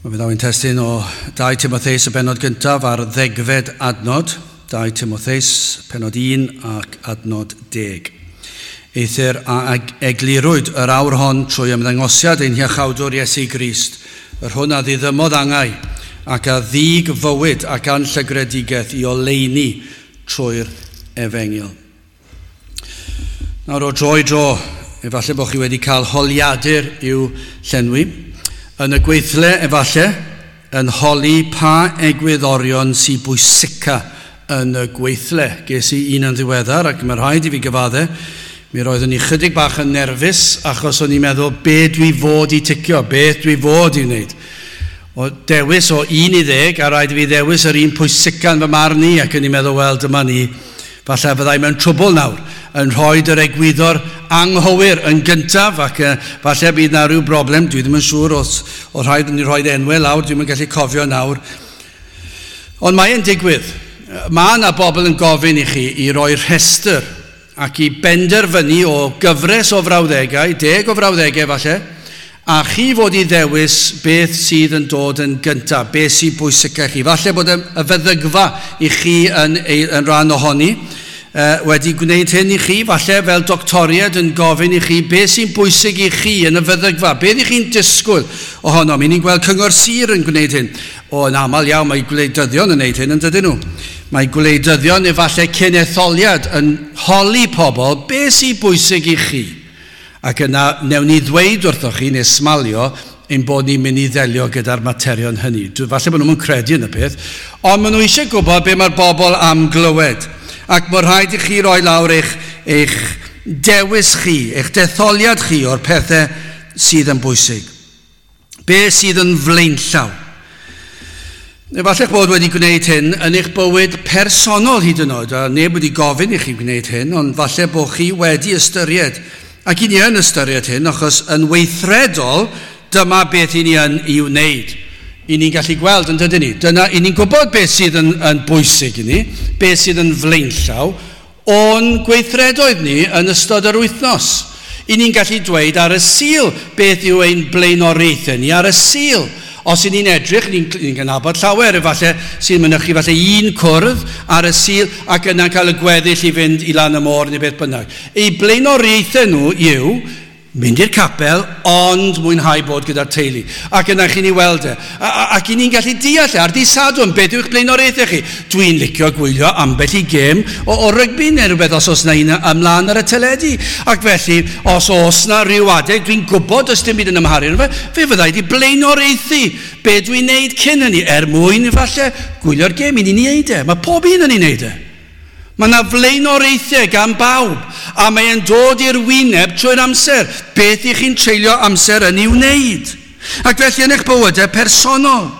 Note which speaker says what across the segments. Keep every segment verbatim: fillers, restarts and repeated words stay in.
Speaker 1: Mae fe ddaw'n testun o dau Timotheus y bennod gyntaf ar ddegfed adnod, dau Timotheus, pennod un ac adnod deg. Eithr a eglurwyd yr awr hon trwy ymddangosiad ein hiachawdwr Iesu Grist, yr hwn a ddiddymodd angau ac a ddig fywyd ac anllygredigaeth i oleuni trwy'r efengyl. Nawr o dro i dro, efallai bod chi wedi cael holiadur i'w llenwi. Yn y gweithle, efallai, yn holi pa egwyddorion sy'n bwysica yn y gweithle. Ges i un yn ddiweddar ac mae rhaid i fi gyfadde. Mi roeddwn i chydig bach yn nerfus achos o'n i'n meddwl be dwi fod i ticio, beth dwi fod i wneud. O dewis o un i ddeg a rhaid i fi ddewis yr un pwysica yn fy marn i ac o'n i'n meddwl, wel, dyma ni, falle fyddai mewn trwbl nawr yn rhoi yr egwyddor anghywir yn gyntaf ac uh, falle bydd na rhyw broblem, dwi ddim yn siŵr os o rhaid ni rhoi enwau lawr, dwi'n yn gallu cofio nawr. Ond mae'n digwydd. Mae yna bobl yn gofyn i chi i roi rhestr ac i benderfynu o gyfres o frawddegau, deg o frawddegau falle, a chi fod i ddewis beth sydd yn dod yn gyntaf, beth sy'n bwysicach chi. Falle bod y feddygfa i chi yn, yn rhan ohoni, wedi gwneud hyn i chi, falle fel doctoriad yn gofyn i chi beth sy'n bwysig i chi yn y feddygfa, beth i chi'n disgwyl ohono. Mi ni'n gweld Cyngor Sir yn gwneud hyn. O, yn aml iawn mae gwleidyddion yn gwneud hyn, yn dydyn nhw. Mae gwleidyddion efallai cyn etholiad yn holi pobl beth sy'n bwysig i chi. Ac yna, newn ni ddweud wrthoch chi neu smalio ein bod ni'n mynd i ddelio gyda'r materion hynny. Falle bod nhw'n credu yn y peth, ond maen nhw eisiau gwybod be mae'r bobl am glywed. Ac mae rhaid i chi roi lawr eich, eich dewis chi, eich detholiad chi o'r pethau sydd yn bwysig. Be sydd yn flaenllaw? Efallai bod wedi gwneud hyn yn eich bywyd personol hyd yn oed, a neb wedi gofyn i chi gwneud hyn, ond falle bod chi wedi ystyried. Ac i ni yn ystyried hyn, achos yn weithredol, dyma beth i ni yn ei wneud. I ni'n gallu gweld yn dydyn ni. Dyna, i ni'n gwybod beth sydd yn, yn bwysig i ni, beth sydd yn flaenllaw, o'n gweithredoedd ni yn ystod yr wythnos. I ni'n gallu dweud ar y Sul beth yw ein blaenoriaethau ni ar y Sul. Os i ni'n edrych, ni'n ni gynabod llawer, efallai sy'n mynychu falle un cwrdd ar y Sul ac yna'n cael y gweddill i fynd i lan y môr neu beth bynnag. Eu blaenoriaethau nhw yw mynd i'r capel, ond mwynhau bod gyda'r teulu. Ac yna chi'n ei weld e. A, a, ac i ni'n gallu deall e, ar dydd Sadwrn, beth yw'ch blaenoriaethau chi? Dwi'n licio gwylio ambell i gêm o, o rygbi neu rhywbeth os oes na un ymlaen ar y teledu. Ac felly, os oes na rhyw adeg, dwi'n gwybod os dim byd yn ymharu fe, fe fyddai di blaenoriaethu be dwi'n neud cyn hynny, er mwyn falle gwylio'r gêm, i ni'n neud e. Mae pob un yn ei neud e. Mae yna flaenoriaethau gan bawb, a mae'n dod i'r wyneb trwy'r amser. Beth i chi'n treulio amser yn ei wneud? Ac felly yn eich bywydau personol,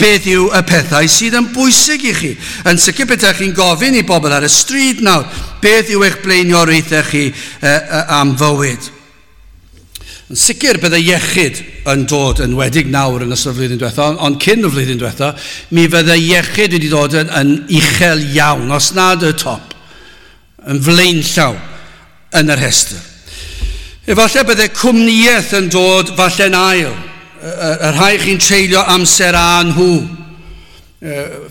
Speaker 1: beth yw y pethau sydd yn bwysig i chi? Yn sicr beth chi'n gofyn i bobl ar y stryd nawr, beth yw eich blaenoriaethau chi eh, am fywyd? Yn sicr bydde iechyd yn dod yn wedig nawr yn ystod y flwyddyn diwetha, ond cyn y flwyddyn diwetha, mi fydde iechyd wedi dod yn, yn uchel iawn, os nad y top, yn flaenllaw yn yr rhestr. Efallai bydde cwmnïaeth yn dod falle'n ail, y, y rhai chi'n treulio amser â nhw,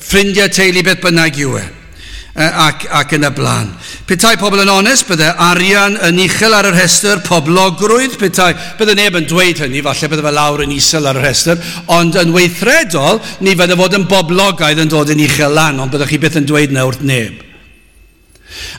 Speaker 1: ffrindiau teulu beth bynnag yw e. Ac, ac yn y blaen. Petai pobl yn onest, bydde arian yn uchel ar y rhestr, poblogrwydd, petai, bydde neb yn dweud hynny, falle bydde fe lawr yn isel ar y rhestr, ond yn weithredol, ni fydde fod yn boblogaidd yn dod yn uchel lan, ond byddwch chi byth yn dweud na wrth neb.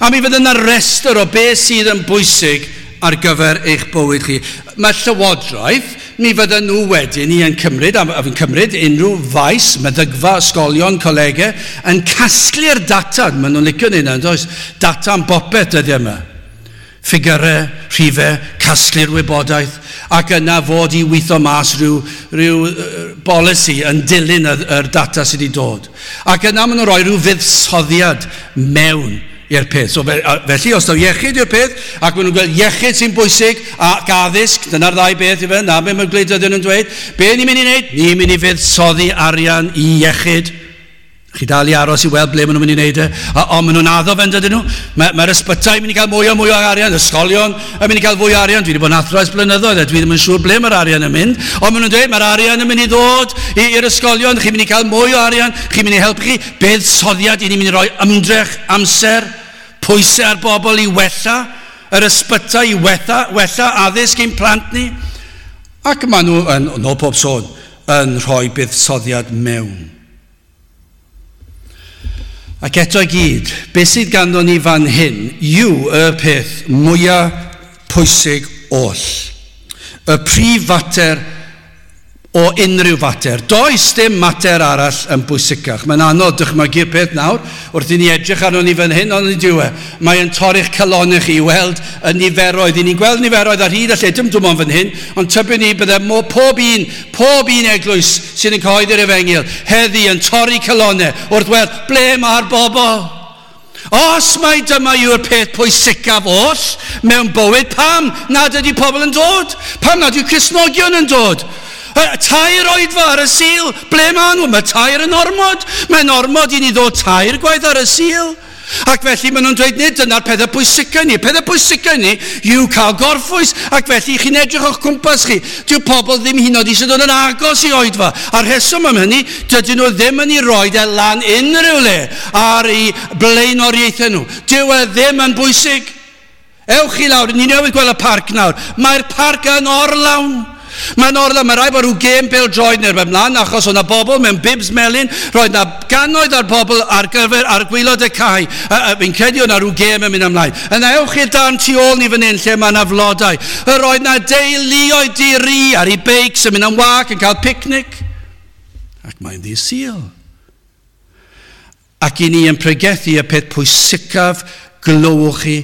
Speaker 1: A mi fydde yna rhestr o beth sydd yn bwysig ar gyfer eich bywyd chi. Mae llywodraeth, mi fydden nhw wedyn i yn cymryd, a fi'n cymryd unrhyw faes, meddygfa, ysgolion, colegau, yn casglu'r data, maen nhw'n licio ni yna, does? Data am bopeth dyddiau yma. Ffigyrau, rhifau, casglu'r wybodaeth, ac yna fod i weithio mas rhyw, rhyw bolisi yn dilyn yr, yr data sydd wedi dod. Ac yna maen nhw'n rhoi rhyw fuddsoddiad mewn i'r peth. So, felly, os daw iechyd yw'r peth, ac maen nhw'n gweld iechyd sy'n bwysig, ac addysg, dyna'r ddau beth i fe, na be mae'r gwleidyddion yn dweud, be ni'n mynd i wneud? Ni'n mynd i fuddsoddi arian i iechyd Chi dal i aros i weld ble maen nhw'n mynd i wneud e. Ond maen nhw'n addo fe'n dydyn nhw. Mae'r mae ysbytai yn mynd i gael mwy o mwy o arian, ysgolion yn mynd i gael fwy o arian. Dwi wedi bod yn athro ers blynyddoedd a dwi ddim yn siŵr ble mae'r arian yn mynd. Ond maen nhw'n dweud mae'r arian yn mynd i ddod i'r ysgolion, chi'n mynd i cael mwy o arian, chi'n mynd i helpu chi. Buddsoddiad, i ni'n mynd i roi ymdrech, amser, pwysau ar bobl i wella yr ysbytai, i wella, wella addysg ein plant ni. Ac maen nhw, yn, yn ôl pob sôn, yn rhoi buddsoddiad mewn. Ac eto i gyd, beth sydd ganddo ni fan hyn yw y peth mwyaf pwysig oll. Y prif fater o unrhyw fater. Does dim mater arall yn bwysicach. Mae'n anodd dychmygu'r peth nawr wrth i ni edrych arno ni fan hyn, ond ydyw e. Mae'n torri'ch calonnau chi i weld y niferoedd. I ni'n gweld niferoedd ar hyd a lle, dim dim ond fan hyn, ond tybwn ni bydde mo, pob un, pob un eglwys sydd yn cyhoeddi'r efengyl heddi yn torri calonnau wrth weld ble mae'r bobl. Os mai dyma yw'r peth pwysicaf oll mewn bywyd, pam nad ydy pobl yn dod? Pam nad yw Cristnogion yn dod? Tair oedfa ar y Sul, ble maen nhw? Mae tair yn ormod. Mae'n ormod i ni ddod tair gwaith ar y Sul. Ac felly maen nhw'n dweud, nid dyna'r pethau pwysica ni. Pethau pwysica ni yw cael gorffwys. Ac felly chi'n edrych o'ch cwmpas chi. Dyw pobl ddim hyd yn oed eisiau dod yn agos i oedfa. A'r rheswm am hynny, dydyn nhw ddim yn ei roed e lan unrhyw le ar eu blaenoriaethau nhw. Dyw e ddim yn bwysig. Ewch chi lawr, ni newydd gweld y parc nawr. Mae'r parc yn orlawn. Mae'n orlawn, mae rhaid bod rhyw gêm bêl-droed neu rhywbeth mlaen, achos o'na bobl mewn bibs melyn, roedd na gannoedd ar bobl ar gyfer ar gwaelod y cae. Fi'n credu o'na rhyw gêm yn mynd ymlaen. Yna ewch i'r darn tu ôl ni fan hyn lle mae yna flodau. Yr oedd na deuluoedd di-ri ar eu beics yn mynd am wâc yn cael picnic. Ac mae'n ddydd Sul. Ac i ni yn pregethu y peth pwysicaf glywch chi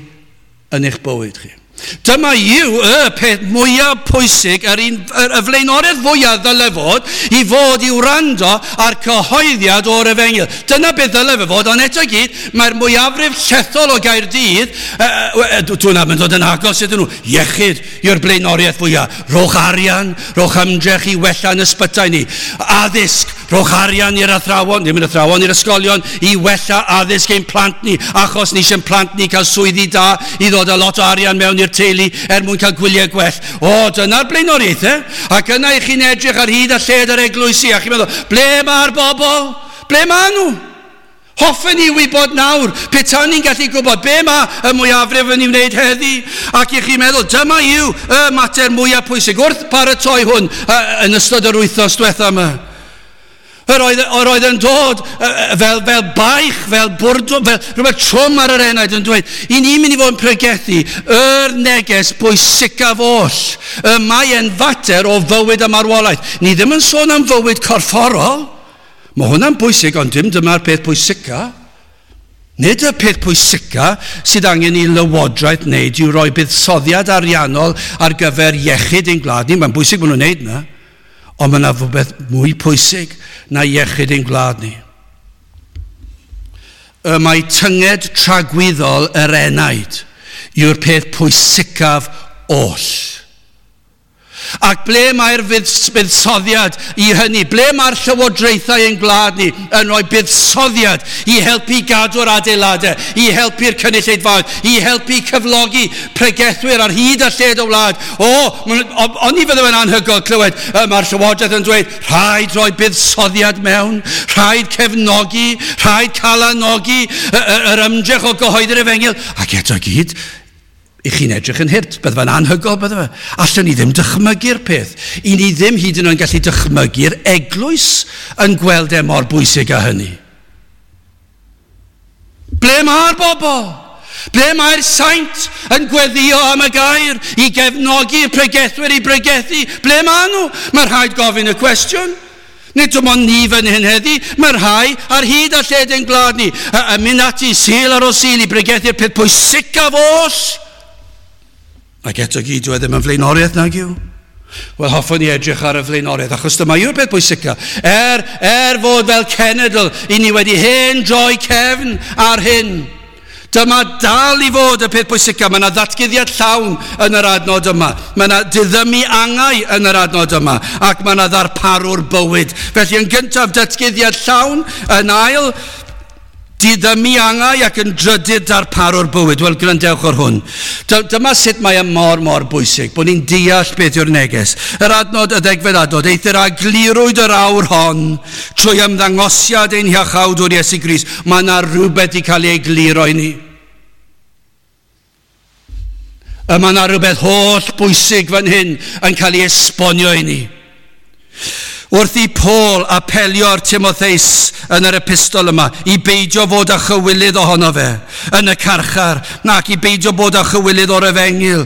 Speaker 1: yn eich bywyd chi. Dyma yw y peth mwyaf pwysig, yr un, yr, y flaenoriaeth fwyaf ddyle fod, i fod i wrando ar cyhoeddiad o'r efengyl. Dyna beth ddyle fe fod, ond eto i gyd, mae'r mwyafrif llethol o Gaerdydd, dwi'n am yn dod yn agos iddyn nhw, iechyd yw'r blaenoriaeth fwyaf. Rhowch arian, rhowch ymdrech i wella yn ysbytai ni. Addysg, rhowch arian i'r athrawon, ddim yn athrawon, i'r ysgolion, i wella addysg ein plant ni, achos ni eisiau'n plant ni cael swyddi da, i ddod â lot o arian mewn i'r teulu er mwyn cael gwyliau gwell. O, dyna'r blaenoriaethau. Ac yna i chi'n edrych ar hyd a lled yr eglwysi, a chi'n meddwl, ble mae'r bobl? Ble maen nhw? Hoffen ni wybod nawr, petai ni'n gallu gwybod be mae y mwyafrif yn ei wneud heddi. Ac i chi'n meddwl, dyma yw y mater mwyaf pwysig wrth paratoi hwn yn ystod yr wythnos diwetha yma. Yr oedd, yr oedd yn dod fel, fel baich, fel bwrdwn, fel rhywbeth trwm ar yr enaid yn dweud, i ni'n mynd i fod yn pregethu yr neges bwysicaf oll. Y mae e'n fater o fywyd a marwolaeth. Ni ddim yn sôn am fywyd corfforol. Mae hwnna'n bwysig, ond dim dyma'r peth pwysica. Nid y peth pwysica sydd angen i lywodraeth wneud yw roi buddsoddiad ariannol ar gyfer iechyd ein gwlad ni. Mae'n bwysig bod nhw'n wneud yna. Ond mae yna rhywbeth mwy pwysig na iechyd ein gwlad ni. Y mae tynged tragwyddol yr enaid yw'r peth pwysicaf oll. Ac ble mae'r buddsoddiad i hynny? Ble mae'r llywodraethau ein gwlad ni yn rhoi buddsoddiad i helpu gadw'r adeiladau, i helpu'r cynulleidfaoedd, i helpu cyflogi pregethwyr ar hyd a lled y wlad? O, oni fydde fe'n anhygoel clywed, mae'r llywodraeth yn dweud, rhaid rhoi buddsoddiad mewn, rhaid cefnogi, rhaid calanogi yr ymdrech o gyhoeddi'r efengyl. Ac eto gyd, i chi'n edrych yn hurt, bydde fe'n anhygoel, bydde fe. Allwn ni ddim dychmygu'r peth. I ni ddim hyd yn oed yn gallu dychmygu'r eglwys yn gweld e mor bwysig â hynny. Ble mae'r bobl? Ble mae'r saint yn gweddio am y gair i gefnogi'r pregethwyr i bregethu? Ble maen nhw? Mae rhaid gofyn y cwestiwn. Nid dim ond ni fan hyn heddi, mae rhai ar hyd a lled ein gwlad ni yn mynd ati Sul ar ôl Sul i bregethu'r peth pwysicaf oll. Ac eto gyd, dyw e ddim yn flaenoriaeth nag yw. Wel, hoffwn i edrych ar y flaenoriaeth, achos dyma yw'r peth pwysica. Er, er fod fel cenedl, i ni wedi hen droi cefn ar hyn. Dyma dal i fod y peth pwysica. Mae yna ddatguddiad llawn yn yr adnod yma. Mae yna diddymu angau yn yr adnod yma. Ac mae yna ddarparwr bywyd. Felly yn gyntaf, datguddiad llawn. Yn ail, diddymu angau ac yn drydydd darparwr bywyd. Wel, gwrandewch ar hwn. Dyma sut mae e mor, mor bwysig, bod ni'n deall beth yw'r neges. Yr adnod, y ddegfed adnod, eithr a glirwyd yr awr hon trwy ymddangosiad ein Hiachawdwr Iesu Grist. Mae yna rhywbeth i cael ei egluro i ni. Y mae yna rhywbeth holl bwysig fan hyn yn cael ei esbonio i ni. Wrth i Paul apelio ar Timotheus yn yr epistol yma i beidio fod â chywilydd ohono fe yn y carchar, nac i beidio bod â chywilydd o'r efengyl.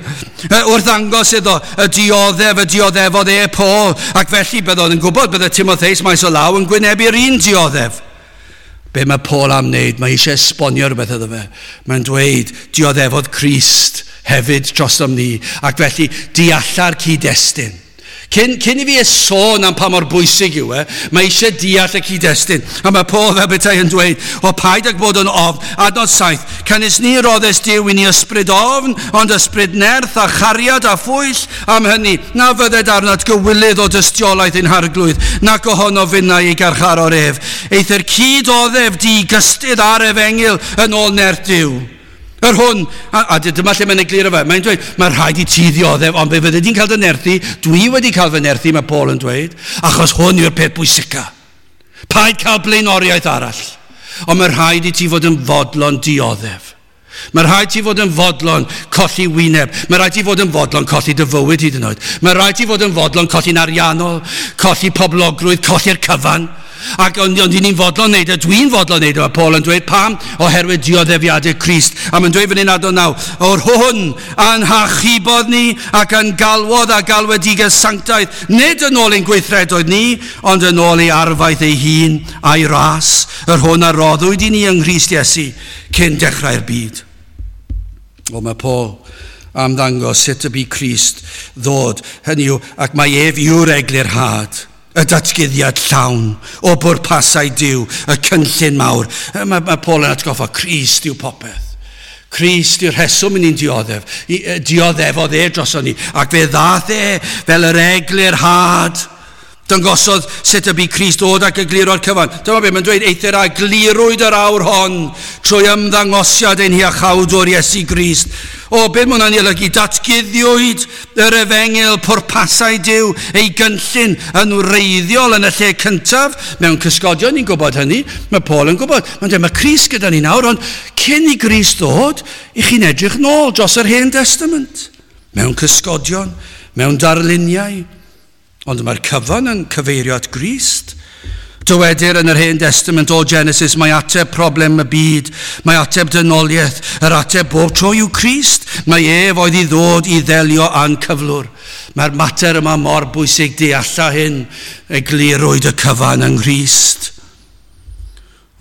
Speaker 1: Wrth ddangos iddo y dioddef, y dioddefodd e Paul, ac felly byddwn yn gwybod bydde Timotheus maes o law yn gwynebu'r un dioddef. Be mae Paul am wneud? Mae eisiau esbonio rhywbeth iddo fe. Mae'n dweud, dioddefodd Crist hefyd drosom ni, ac felly dealla'r cyd-destun. Cyn, cyn i fi sôn am pa mor bwysig yw e, mae eisiau deall y cyd-destun. A mae Paul fel petai yn dweud, o paid ag bod yn ofn, adnod saith, canys ni roddes Duw i ni ysbryd ofn, ond ysbryd nerth a chariad a phwyll am hynny, na fydded arnat gywilydd o dystiolaeth ein harglwydd, nac ohono finnau ei garcharor ef. Eithr cyd-oddef di gystudd ar efengyl yn ôl nerth Duw. Yr hwn, a, a dyma lle mae'n egluro fe, mae'n dweud, mae rhaid i ti ddioddef, ond fe fydde di'n cael dy nerthu, dwi wedi cael fy nerthu, mae Paul yn dweud, achos hwn yw'r peth pwysica. Paid cael blaenoriaeth arall, ond mae rhaid i ti fod yn fodlon dioddef. Mae rhaid ti fod yn fodlon colli wyneb. Mae rhaid ti fod yn fodlon colli dy fywyd hyd yn oed. Mae rhaid ti fod yn fodlon colli'n ariannol, colli poblogrwydd, colli'r cyfan. Ac ond, ond ni'n fodlon wneud e, dwi'n fodlon wneud e, mae Paul yn dweud, pam? Oherwydd dioddefiadau Crist. A mae'n dweud fan hyn adnod naw, o'r hwn a'n hachubodd ni ac yn galwodd a galwedigaeth sanctaidd, nid yn ôl ein gweithredoedd ni, ond yn ôl ei arfaeth ei hun a'i ras, yr hwn a roddwyd i ni yng Nghrist Iesu cyn dechrau'r byd. O, mae Paul am ddangos sut y bu Crist ddod, hynny yw, ac mae ef yw'r eglurhad, y datguddiad llawn o bwrpasau Duw, y cynllun mawr. Mae, mae Paul yn atgoffa, Crist yw popeth. Crist yw'r rheswm i ni'n dioddef. I, dioddefodd e droson ni, ac fe ddath e fel yr eglurhad. Dangosodd sut y bu Crist dod ac egluro'r cyfan. Dyma be mae'n dweud, eithr a glirwyd yr awr hon trwy ymddangosiad ein Hiachawdwr Iesu Grist. O, beth mae hwnna'n ei olygu? Datguddiwyd yr efengyl, pwrpasau Duw, ei gynllun yn wreiddiol yn y lle cyntaf. Mewn cysgodion, ni'n gwybod hynny. Mae Paul yn gwybod. Mae'n dweud, mae Crist gyda ni nawr, ond cyn i Grist ddod, i chi'n edrych nôl dros yr Hen Testament. Mewn cysgodion, mewn darluniau. Ond mae'r cyfan yn cyfeirio at Grist. Dywedir yn yr Hen Testament o Genesis, mae ateb problem y byd, mae ateb dynoliaeth, yr ateb bob tro yw Crist. Mae ef oedd i ddod i ddelio â'n cyflwr. Mae'r mater yma mor bwysig dealla hyn, eglurwyd y cyfan yng Nghrist.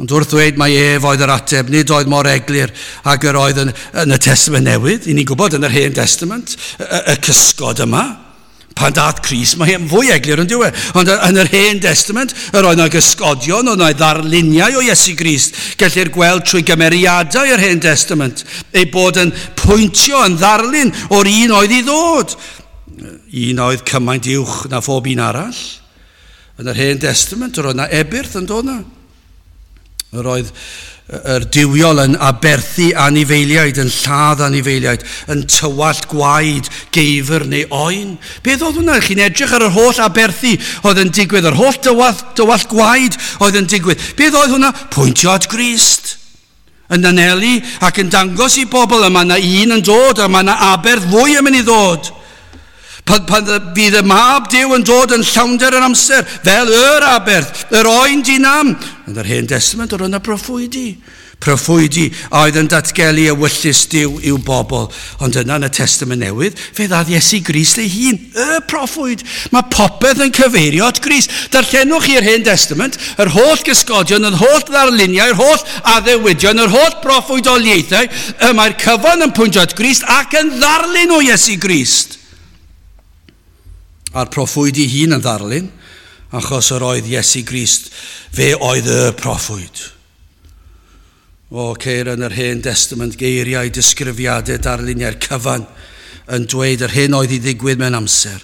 Speaker 1: Ond wrth ddweud mae ef oedd yr ateb, nid oedd mor eglur ag yr oedd yn, yn y Testament Newydd. I ni'n gwybod yn yr Hen Testament, y, y, y cysgod yma. Pan dath Crist, mae e'n fwy eglur yn dyw e. Ond yn yr Hen Testament, yr oedd yna gysgodion, oedd yna ddarluniau o Iesu Grist. Gellir gweld trwy gymeriadau yr Hen Testament, ei bod yn pwyntio yn ddarlun o'r un oedd i ddod. Un oedd cymaint uwch na phob un arall. Yn yr Hen Testament, yr oedd yna ebyrth yn dod yna. Yr oedd yr duwiol yn aberthu anifeiliaid, yn lladd anifeiliaid, yn tywallt gwaed, geifr neu oen. Beth oedd hwnna? Chi'n edrych ar yr holl aberthu oedd yn digwydd, yr holl dywallt, dywallt gwaed oedd yn digwydd. Beth oedd hwnna? Pwyntio at Grist. Yn anelu ac yn dangos i bobl, y mae yna un yn dod, a mae yna aberth fwy yn mynd i ddod. Pan, pan fydd y mab Duw yn dod yn llawnder yr amser, fel yr aberth, yr oen dinam. Yn yr Hen Testament, yr yna proffwydi. Proffwydi a oedd yn datgelu ewyllys Duw i'w bobl. Ond yna yn y Testament Newydd, fe ddath Iesu Grist ei hun, y proffwyd. Mae popeth yn cyfeirio at Grist. Darllenwch chi'r Hen Testament, yr holl gysgodion, yr holl ddarluniau, yr holl addewidion, yr holl proffwydoliaethau, y mae'r cyfan yn pwyntio at Grist ac yn ddarlun o Iesu Grist. A'r proffwyd ei hun yn ddarlun, achos yr oedd Iesu Grist, fe oedd y proffwyd. O, ceir yn yr Hen Testament geiriau, disgrifiadau, darluniau'r cyfan yn dweud yr hyn oedd i ddigwydd mewn amser.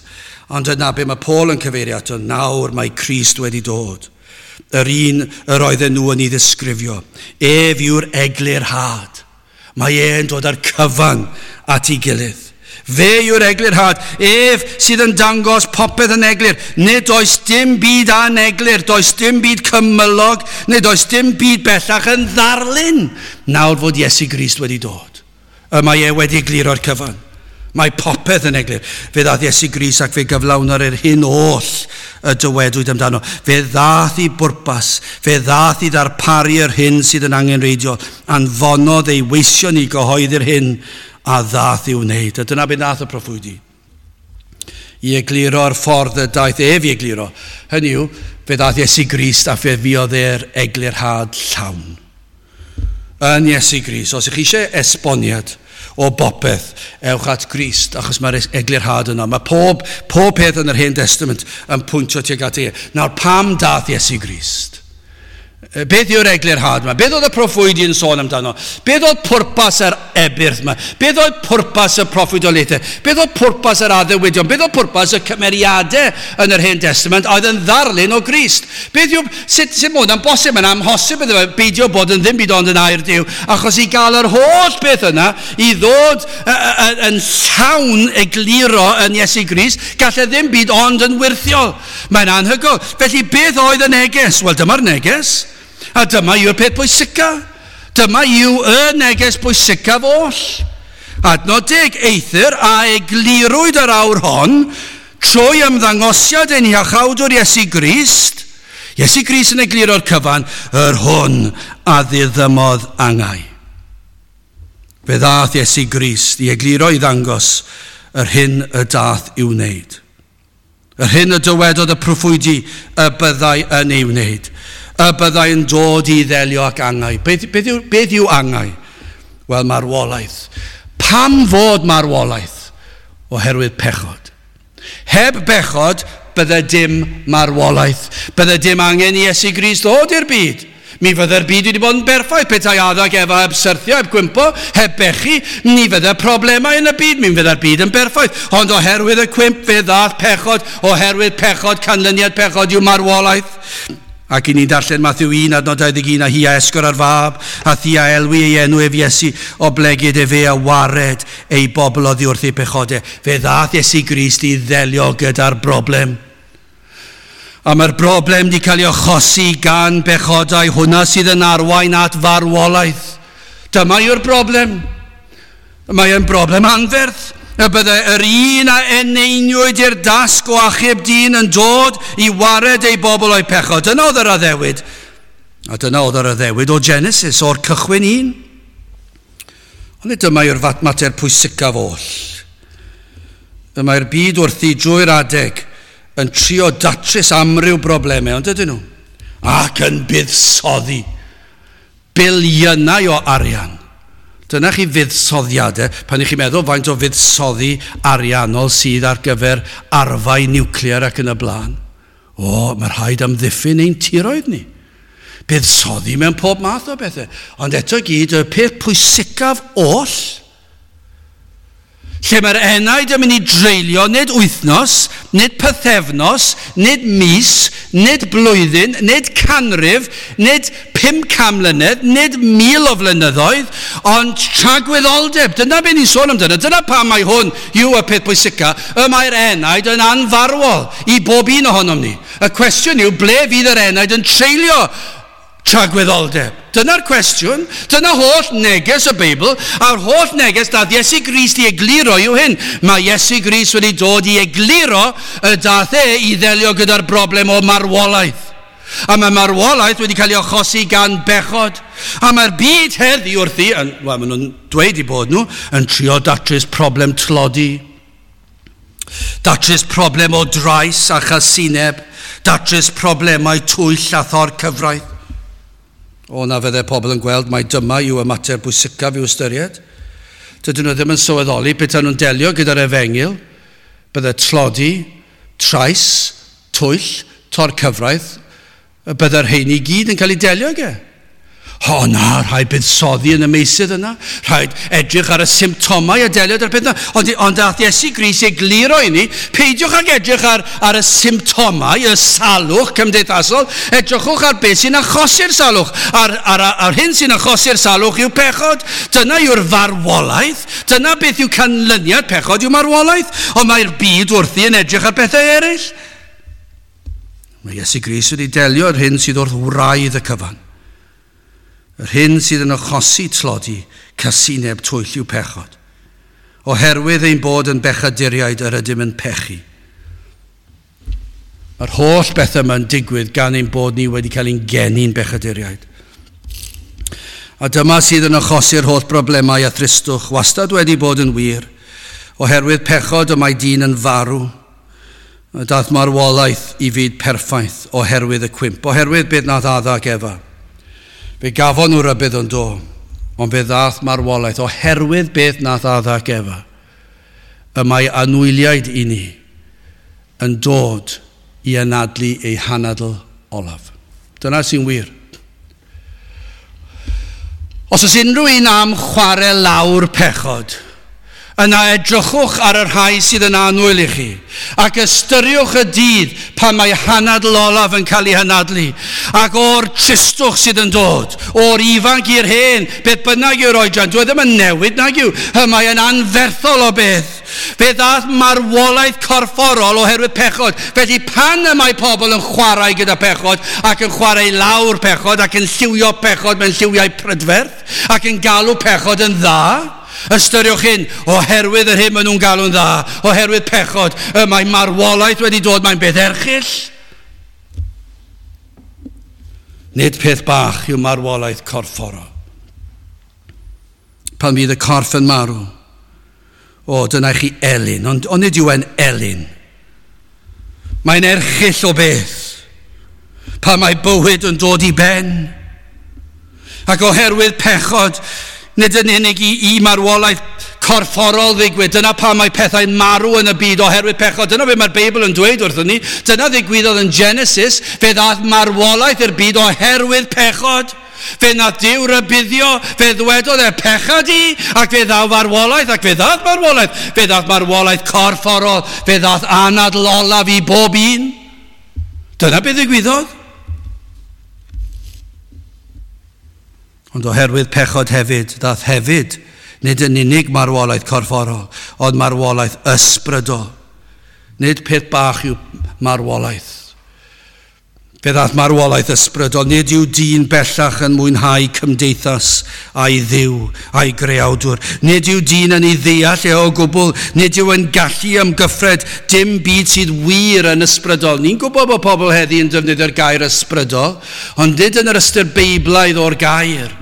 Speaker 1: Ond yna be mae Paul yn cyfeirio ato, nawr mae Crist wedi dod. Yr un yr oedden nhw yn ei ddisgrifio. Ef yw'r eglurhad. Mae e'n dod â'r cyfan at ei gilydd. Fe yw'r eglurhad. Ef sydd yn dangos popeth yn eglur. Nid oes dim byd aneglur, does dim byd cymylog, nid oes dim byd bellach yn ddarlun. Nawr fod Iesu Grist wedi dod. Y mae e wedi egluro'r cyfan. Mae popeth yn eglur. Fe ddath Iesu Grist ac fe gyflawnodd yr hyn oll y dywedwyd amdano. Fe ddath i bwrpas, fe ddath i ddarparu yr hyn sydd yn angenrheidiol. Anfonodd ei weision i gyhoeddi'r hyn a ddath i'w wneud. A dyna beth nath y proffwydi. I egluro'r ffordd y daeth ef i egluro. Hynny yw, fe ddath Iesu Grist a fe fuodd e'r eglurhad llawn. Yn Iesu Grist, os ych chi eisiau esboniad o bopeth, ewch at Grist, achos mae'r eglurhad yno. Mae pob, pob peth yn yr Hen Testament yn pwyntio tuag at e. Nawr, pam dath Iesu Grist? Beth yw'r eglurhad yma? Beth oedd y proffwydi yn sôn amdano? Beth oedd pwrpas yr ebyrth yma? Beth oedd pwrpas y proffwydoliaethau? Beth oedd pwrpas yr addewidion? Beth oedd pwrpas y cymeriadau yn yr Hen Testament oedd yn ddarlun o Grist? Beth yw, sut, sut mae hwnna'n bosib? Mae'n amhosib iddo fe beidio bod yn ddim byd ond yn air Duw, achos i gael yr holl beth yna, i ddod yn llawn egluro yn Iesu Grist, gallai ddim byd ond yn wyrthiol. Mae'n anhygoel. Felly beth oedd y neges? Wel, dyma'r neges. A dyma yw'r peth pwysica. Dyma yw y neges pwysicaf oll. Adnod deg, eithr a eglurwyd yr awr hon trwy ymddangosiad ein Iachawdwr Iesu Grist. Iesu Grist yn egluro'r cyfan, yr hwn a ddiddymodd angau. Fe ddath Iesu Grist i egluro i ddangos yr hyn y dath i'w wneud. Yr hyn y dywedodd y proffwydi y byddai yn ei wneud. Y byddai yn dod i ddelio ac angau. Beth, beth, yw, beth yw angau? Wel, marwolaeth. Pam fod marwolaeth? Oherwydd pechod. Heb bechod, bydde dim marwolaeth. Bydde dim angen i Iesu Grist ddod i'r byd. Mi fydde'r byd wedi bod yn berffaith, petai Adda ac Efa heb syrthio, heb gwympo, heb bechu, ni fydde problemau yn y byd, mi fydde'r byd yn berffaith. Ond oherwydd y cwymp fe ddath pechod, oherwydd pechod, canlyniad pechod yw marwolaeth. Ac i ni'n darllen Mathew un, adnod dau ddeg un, a hi a esgor ar fab, a thi a elwi ei enw ef Iesu, oblegid efe a wared ei bobl oddi wrth ei pechodau. Fe ddath Iesu Grist i ddelio gyda'r broblem. A mae'r broblem wedi cael ei achosi gan bechodau, hwnna sydd yn arwain at farwolaeth. Dyma yw'r broblem. Mae e'n broblem anferth. Y bydde yr un a eneiniwyd i'r dasg o achub dyn yn dod i wared ei bobl o'i pechod. Dyna oedd yr addewid. A dyna oedd yr addewid o Genesis, o'r cychwyn un. Ond nid dyma yw'r mater pwysicaf oll. Y mae'r byd wrthi drwy'r adeg yn trio datrys amryw broblemau, ond ydyn nhw? Ac yn buddsoddi biliynau o arian. Dyna chi fuddsoddiadau, pan i chi'n meddwl faint o fuddsoddi ariannol sydd ar gyfer arfau niwclear ac yn y blaen. O, mae rhaid amddiffyn ein tiroedd ni. Buddsoddi mewn pob math o bethau. Ond eto gyd, y peth pwysicaf oll, lle mae'r enaid yn mynd i dreulio nid wythnos, nid pythefnos, nid mis, nid blwyddyn, nid canrif, nid pum can mlynedd, nid mil o flynyddoedd, ond tragwyddoldeb. Dyna beth ni'n sôn amdano. Dyna pam mae hwn yw y peth pwysica. Y mae'r enaid yn anfarwol i bob un ohonom ni. Y cwestiwn yw, ble fydd yr enaid yn treulio tragwyddoldeb? Dyna'r cwestiwn. Dyna holl neges y Beibl, a'r holl neges dath Iesu Grist i egluro yw hyn. Mae Iesu Grist wedi dod i egluro y dath e i ddelio gyda'r broblem o marwolaeth. A mae marwolaeth wedi cael ei achosi gan bechod. A mae'r byd heddi wrthi, yn, wel, maen nhw'n dweud i bod nhw, yn trio datrys problem tlodi, datrys problem o drais a chasineb, datrys problemau twyll a thor cyfraith. O, na fydde pobl yn gweld mai dyma yw y mater bwysicaf i'w ystyried. Dydyn nhw ddim yn sylweddoli petai nhw'n delio gyda'r efengyl, bydde tlodi, trais, twyll, tor cyfraith, y bydde'r rheini i gyd yn cael ei delio ag e. O na, rhaid buddsoddi yn y meysydd yna. Rhaid edrych ar y symptomau a delio â'r peth yna. Ond, ond dath Iesu Grist egluro i ni, peidiwch ag edrych ar, ar y symptomau, y salwch cymdeithasol, edrychwch ar beth sy'n achosi'r salwch. Ar, ar, ar hyn sy'n achosi'r salwch yw pechod. Dyna yw'r farwolaeth. Dyna beth yw canlyniad pechod yw marwolaeth. Ond mae'r byd wrthi yn edrych ar bethau eraill. Mae Iesu Grist wedi delio â'r hyn sydd wrth wraidd y cyfan. Yr hyn sydd yn achosi tlodi, casineb, twyll yw pechod. Oherwydd ein bod yn bechaduriaid yr ydym yn pechu. Mae'r holl bethau yma'n digwydd gan ein bod ni wedi cael ein geni'n bechaduriaid. A dyma sydd yn achosi'r holl broblemau a thristwch, wastad wedi bod yn wir. Oherwydd pechod y mae dyn yn farw. Dath marwolaeth i fyd perffaith oherwydd y cwymp, oherwydd beth nath Adda ac Efa. Fe gafon nhw rybudd yn do, ond fe ddath marwolaeth oherwydd beth nath Adda ac Efa. Y mae anwyliaid i ni yn dod i anadlu eu hanadl olaf. Dyna sy'n wir. Os oes unrhyw un am chwarae lawr pechod, yna edrychwch ar y rhai sydd yn annwyl i chi, ac ystyriwch y dydd pan mae hanadl olaf yn cael ei hanadlu, ac o'r tristwch sydd yn dod, o'r ifanc i'r hen, beth bynnag yw'r oedran, dwi ddim yn newid nag yw, mae yn anferthol o beth. Fe ddath marwolaeth corfforol oherwydd pechod. Felly pan y mae pobl yn chwarae gyda pechod, ac yn chwarae lawr pechod, ac yn lliwio pechod mewn lliwiau prydferth, ac yn galw pechod yn dda, ystyriwch hyn, oherwydd yr hyn maen nhw'n galw'n dda, oherwydd pechod, y mae marwolaeth wedi dod, mae'n beth erchyll. Nid peth bach yw marwolaeth corfforol. Pan fydd y corff yn marw, o, dyna chi elyn, ond, ond nid yw e'n elyn. Mae'n erchyll o beth, pan mae bywyd yn dod i ben. Ac oherwydd pechod, nid yn unig i, i marwolaeth corfforol ddigwydd. Dyna pam mae pethau'n marw yn y byd oherwydd pechod. Dyna beth mae'r Beibl yn dweud wrthon ni. Dyna ddigwyddodd yn Genesis. Fe ddaeth marwolaeth i'r byd oherwydd pechod. Fe nath Duw rybuddio, fe ddwedodd e pecha di, ac fe ddaw farwolaeth, ac fe ddath marwolaeth. Fe ddath marwolaeth corfforol, fe ddath anadl olaf i bob un. Dyna beth ddigwyddodd. Ond oherwydd pechod hefyd, ddath hefyd, nid yn unig marwolaeth corfforol, ond marwolaeth ysbrydol. Nid peth bach yw marwolaeth. Fe ddath marwolaeth ysbrydol, nid yw dyn bellach yn mwynhau cymdeithas a'i ddiw, a'i greawdwr. Nid yw dyn yn ei ddeall e o gwbl, nid yw yn gallu ymgyffred dim byd sydd wir yn ysbrydol. Ni'n gwybod bod pobl heddi yn defnyddio'r gair ysbrydol, ond nid yn yr ystyr beiblaidd o'r gair.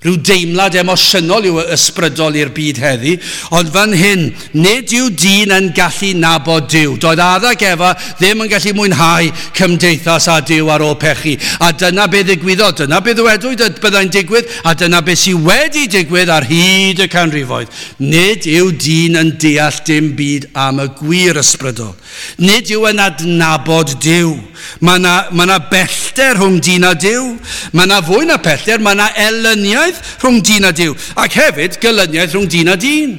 Speaker 1: Rhyw deimlad emosiynol yw ysbrydol i'r byd heddi, ond fan hyn, nid yw dyn yn gallu nabod Duw. Doedd Adda ac Efa ddim yn gallu mwynhau cymdeithas â Duw ar ôl pechu. A dyna beth ddigwyddodd, dyna beth ddywedwyd y byddai'n digwydd, a dyna beth sydd wedi digwydd ar hyd y canrifoedd. Nid yw dyn yn deall dim byd am y gwir ysbrydol. Nid yw yn adnabod Duw. Mae yna, mae yna bellter rhwng dyn a Duw. Mae yna fwy na pellter, mae yna elyniaeth rhwng dyn a Duw, ac hefyd gelyniaeth rhwng dyn a dyn,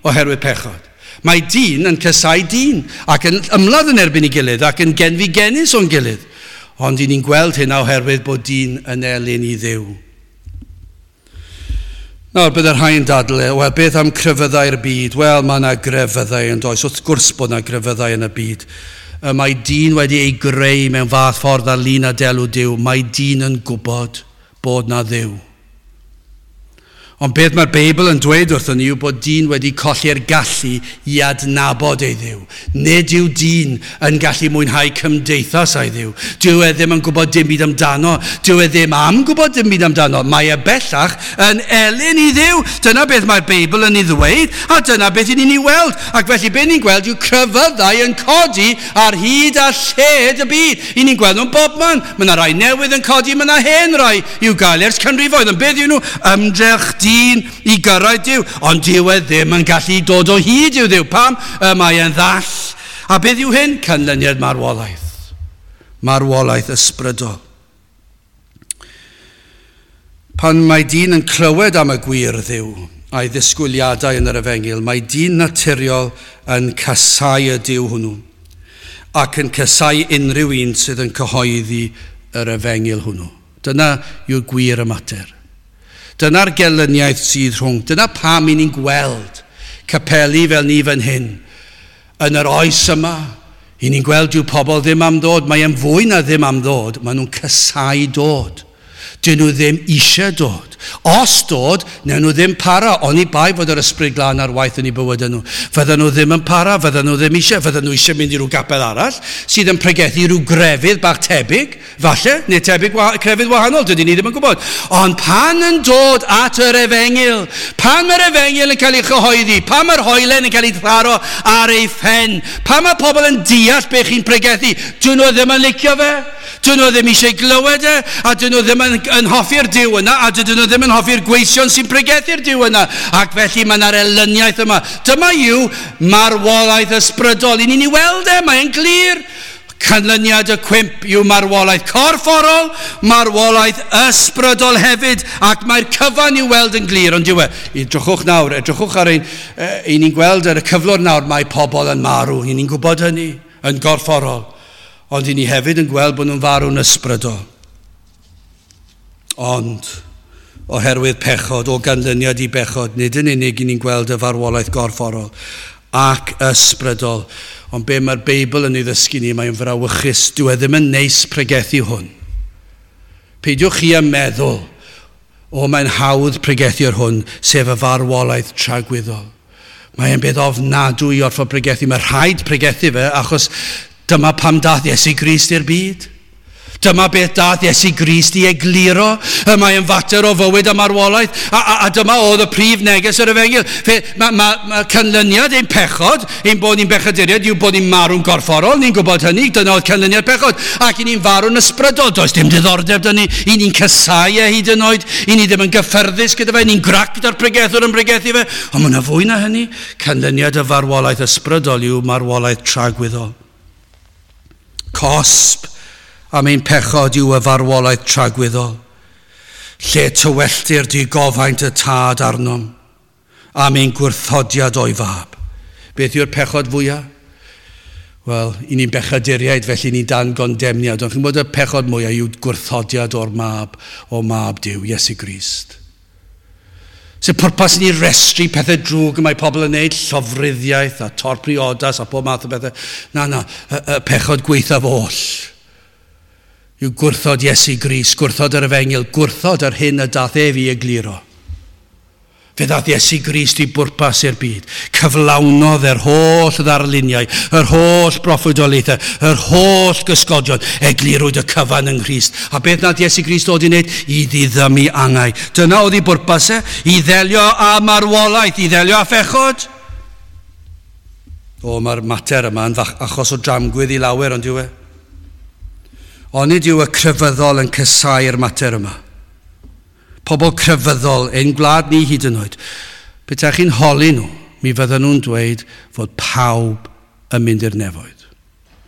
Speaker 1: oherwydd pechod. Mae dyn yn casáu dyn, ac yn ymladd yn erbyn ei gilydd, ac yn genfigennus o'n gilydd. Ond i ni'n gweld hyn oherwydd bod dyn yn elyn i Dduw. Nawr, byddai'r rhai yn dadle, wel, beth am crefyddau'r byd? Wel, mae yna grefyddau yn does, wrth gwrs bod yna grefyddau yn y byd. Mae dyn wedi ei greu mewn fath ffordd ar lun a delw Duw. Mae dyn yn gwybod bod na Dduw. Ond beth mae'r Beibl yn dweud wrthon ni yw bod dyn wedi colli'r gallu i adnabod ei Dduw. Nid yw dyn yn gallu mwynhau cymdeithas â'i Dduw. Dyw e ddim yn gwybod dim byd amdano. Dyw e ddim am gwybod dim byd amdano. Mae e bellach yn elyn i Dduw. Dyna beth mae'r Beibl yn ei ddweud, a dyna beth i ni'n ei weld. Ac felly beth ni'n gweld yw crefyddau yn codi ar hyd a lled y byd. I ni'n gweld nhw'n bobman. Mae yna rai newydd yn codi, mae yna hen rai i'w gael ers canrifoedd. Ond beth yw nhw? Ymdrech dyn i gyrraedd Duw, ond dyw e ddim yn gallu dod o hyd i'w Dduw. Pam? Y mae e'n ddall. A beth yw hyn? Canlyniad marwolaeth. Marwolaeth ysbrydol. Pan mae dyn yn clywed am y gwir Dduw a'i ddisgwyliadau yn yr efengyl, mae dyn naturiol yn casáu y Duw hwnnw ac yn casáu unrhyw un sydd yn cyhoeddi yr efengyl hwnnw. Dyna yw'r gwir y mater. Dyna'r gelyniaeth sydd rhwng. Dyna pam i ni'n gweld capeli fel ni fan hyn. Yn yr oes yma, i ni'n gweld yw pobl ddim am ddod. Mae e'n fwy na ddim am ddod. Maen nhw'n casáu dod. Dyn nhw ddim eisiau dod. Os dod, newn nhw ddim para, oni bai fod yr Ysbryd Glân ar waith yn eu bywydau nhw. Fydden nhw ddim yn para, fydden nhw ddim eisiau, fydden nhw eisiau mynd i ryw gapel arall sydd yn pregethu rhyw grefydd bach tebyg, falle, neu tebyg wa- crefydd wahanol, dydyn ni ddim yn gwybod. Ond pan yn dod at yr efengyl, pan mae'r efengyl yn cael ei chyhoeddi, pan mae'r hoelen yn cael ei tharo ar ei phen, pan mae pobl yn deall be chi'n pregethu, dyn nhw ddim yn licio fe, dyn nhw ddim eisiau glywed e, a dyn nhw ddim yn, yn hoffi'r Duw yna, a dydyn nhw ddim yn hoffi'r gweision sy'n pregethu'r Duw yna. Ac felly mae yna'r elyniaeth yma. Dyma yw marwolaeth ysbrydol. I ni'n ei weld e, mae'n glir. Canlyniad y cwymp yw marwolaeth corfforol, marwolaeth ysbrydol hefyd, ac mae'r cyfan i'w weld yn glir, ond yw e. Edrychwch nawr, edrychwch ar ein, e, ni'n gweld ar y cyflwr nawr, mae pobl yn marw, i ni'n gwybod hynny, yn gorfforol. Ond i ni hefyd yn gweld bod nhw'n farw'n ysbrydol. Ond, oherwydd pechod, o ganlyniad i bechod, nid yn unig i ni'n gweld y farwolaeth gorfforol ac ysbrydol. Ond be mae'r Beibl yn ei ddysgu ni, mae'n frawychus. Dyw e ddim yn neis pregethu hwn. Peidiwch chi â meddwl, o mae'n hawdd pregethu ar hwn, sef y farwolaeth tragwyddol. Mae'n beth ofnadwy i orfod pregethu. Mae rhaid pregethu fe, achos dyma pam dath Iesu Grist i'r byd. Dyma beth dath Iesu Grist i egluro. Mae'n fater o fywyd a marwolaeth. A, a, a dyma oedd y prif neges yr efengyl. Fe, mae ma, ma canlyniad ein pechod, ein bod ni'n bechaduriaid, yw bod ni'n marw'n gorfforol, ni'n gwybod hynny, dyna oedd canlyniad pechod. Ac i ni'n farw'n ysbrydol, does dim diddordeb 'da ni, i ni'n casáu e hyd yn oed, i ni ddim yn gyffyrddus gyda fe, ni'n grac gyda'r pregethwr yn pregethu fe. Ond mae yna fwy na hynny. Canlyniad y farwolaeth ysbrydol yw marwolaeth tragwyddol. Cosb am ein pechod yw y farwolaeth tragwyddol, lle tywelltir digofaint y tad arnom am ein gwrthodiad o'i fab. Beth yw'r pechod fwyaf? Wel, i ni'n bechaduriaid, felly ni'n dan gondemniad. Ond chi'n gwybod y pechod mwyaf yw gwrthodiad o'r mab, o mab Duw, Iesu Grist. Sef pwrpas ni restru pethau drwg y mae pobl yn neud, llofruddiaeth a torpriodas a pob math o bethau. Na, na, y, y pechod gwaethaf oll yw gwrthod Iesu Grist, gwrthod yr efengyl, gwrthod yr hyn y dath ef i egluro. Fe ddath Iesu Grist i bwrpas i'r byd. Cyflawnodd yr holl ddarluniau, yr holl broffwydoliaethau, yr holl gysgodion, eglurwyd y cyfan yng Nghrist. A beth nath Iesu Grist ddod i wneud? I ddiddymu angau. Dyna oedd ei bwrpas e, i ddelio â marwolaeth, i ddelio â phechod. O, mae'r mater yma yn achos o dramgwydd i lawer, ond yw e? Onid yw y crefyddol yn casáu'r mater yma? Pobl crefyddol, ein gwlad ni hyd yn oed. Petaech chi'n holi nhw, mi fydden nhw'n dweud fod pawb yn mynd i'r nefoedd.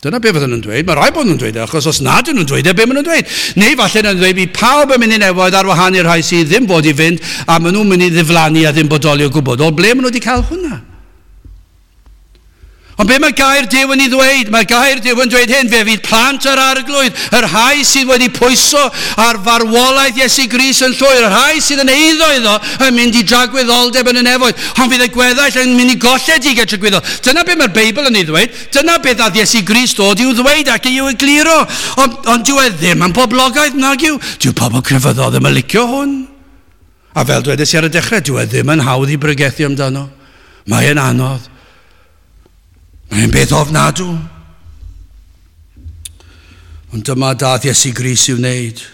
Speaker 1: Dyna be fydden nhw'n dweud. Mae rhaid bod nhw'n dweud e, achos os nad ydyn nhw'n dweud e, be maen nhw'n dweud? Neu falle nhw'n dweud bydd pawb yn mynd i'r nefoedd ar wahân i'r rhai sydd ddim bod i fynd, a maen nhw'n mynd i ddiflannu a ddim bodoli o gwbl. O ble maen nhw wedi cael hwnna? Ond be mae gair Duw yn ei ddweud? Mae gair Duw yn dweud hyn, fe fydd plant yr Arglwydd, y rhai sydd wedi pwyso ar farwolaeth Iesu Grist yn llwyr, y rhai sydd yn eiddo iddo yn mynd i dragwyddoldeb yn y nefoedd, ond fydd y gweddill yn mynd i golledigaeth tragwyddol. Dyna be mae'r Beibl yn ei ddweud, dyna beth nath Iesu Grist dod i'w ddweud ac i'w egluro. Ond, ond dyw e ddim yn boblogaidd, nag yw. Dyw pobl crefyddol ddim yn licio hwn. A fel dwedes i ar y dechrau, dyw e ddim yn hawdd i bregethu amdano. Mae e'n anodd. Mae'n beth ofnadw. Ond dyma dath Iesu Grist i'w wneud.